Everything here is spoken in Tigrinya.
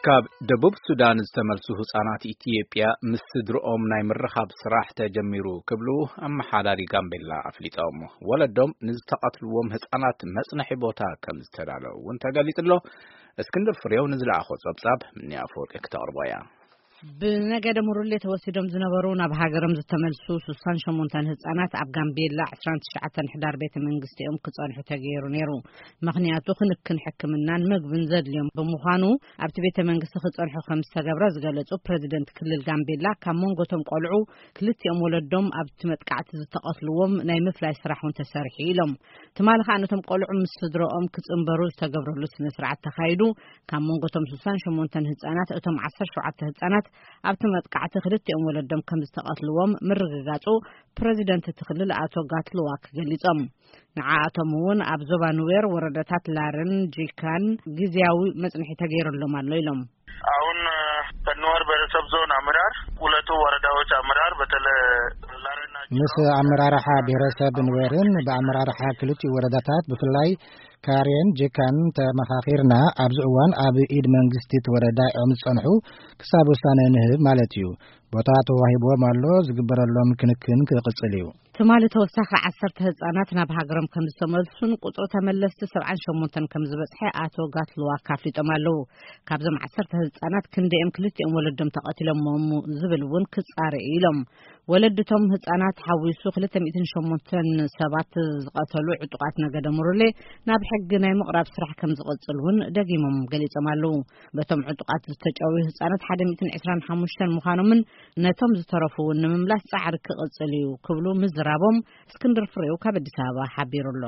ካብ ደቡብ ሱዳን ዝተመልሱ ህጻናት ኢትዮጵያ ምስ ስድርኦም ናይ ምርኻብ ስራሕ ተጀሚሩ ክብሉ ኣመሓዳሪ ጋምቤላ ኣፍሊጦም። ወለዶም ንዝተቐትልዎም ህጻናት መጽነሒ ቦታ ከም ዝተዳለዉ እውን ተገሊጹ ኣሎ። እስክንድር ፍሬው ንዝለኣኾ ጸብጻብ ምኒ ኣፈወርቂ ክተቕርቦ እያ። ብነገደ ሙሩሌ ተወሲዶም ዝነበሩ ናብ ሃገሮም ዝተመልሱ ስሳን ሸሞንተን ህጻናት ኣብ ጋምቤላ ዕስራን ትሽዓተን ሕዳር ቤተ መንግስቲኦም ክጸንሑ ተገይሩ ነይሩ። ምኽንያቱ ክንክን ሕክምናን ምግብን ዘድልዮም ብምዃኑ ኣብቲ ቤተ መንግስቲ ክጸንሑ ከም ዝተገብረ ዝገለጹ ፕረዚደንት ክልል ጋምቤላ፣ ካብ መንጎቶም ቆልዑ ክልቲኦም ወለዶም ኣብቲ መጥቃዕቲ ዝተቐትልዎም ናይ ምፍላይ ስራሕ እውን ተሰሪሑ ኢሎም። ትማሊ ከኣ ነቶም ቆልዑ ምስ ስድረኦም ክጽንበሩ ዝተገብረሉ ስነ ስርዓት ተኻይዱ። ካብ መንጎቶም ስሳን ሸሞንተን ህጻናት እቶም ዓሰርተ ሸውዓተ ህጻናት ኣብቲ መጥቃዕቲ ክልቲኦም ወለዶም ከም ዝተቐትልዎም ምርግጋጹ ፕረዚደንት እቲ ክልል ኣቶ ጋትልዋክ ገሊጾም። ንዓኣቶም እውን ኣብ ዞባ ኑዌር ወረዳታት ላርን ጂካን ግዝያዊ መጽንሒ ተገይሩሎም ኣሎ ኢሎም። አሁን በኑዌር ብሔረሰብ ዞን አመራር፣ ሁለቱ ወረዳዎች አመራር በተለይ ላሬና ምስ ኣመራርሓ ብሔረሰብ ኑዌርን ብኣመራርሓ ክልቲኡ ወረዳታት ብፍላይ ካሬን ጂካን ተመኻኺርና። ኣብዚ እዋን ኣብ ኢድ መንግስቲ እቲ ወረዳ እዮም ዝጸንሑ፣ ክሳብ ውሳነ ንህብ ማለት እዩ። ቦታ ተዋሂብዎም ኣሎ፣ ዝግበረሎም ክንክን ክቕጽል እዩ። ትማሊ ተወሳኺ ዓሰርተ ህጻናት ናብ ሃገሮም ከም ዝተመልሱን ቁጽሪ ተመለስቲ ሰብዓን ሸሞንተን ከም ዝበጽሐ ኣቶ ጋትልዋክ ኣፍሊጦም ኣለዉ። ካብዞም ዓሰርተ ህጻናት ክንደኦም ክልቲኦም ወለዶም ተቐቲሎሞም ዝብል እውን ክጻረ እዩ ኢሎም። ወለድቶም ህጻናት ሓዊሱ ክልተ ሚእትን ሸሞንተን ሰባት ዝቐተሉ ዕጡቓት ነገደ ሙሩሌ ናብ ሕጊ ናይ ምቕራብ ስራሕ ከም ዝቕጽል እውን ደጊሞም ገሊጾም ኣለዉ። በቶም ዕጡቓት ዝተጨውዩ ህጻናት ሓደ ሚእትን ዕስራን ሓሙሽተን ምዃኖምን ነቶም ዝተረፉ እውን ንምምላስ ጻዕሪ ክቕጽል እዩ ክብሉ ምዝራቦም እስክንድር ፍሬው ካብ ኣዲስ ኣበባ ሓቢሩ ኣሎ።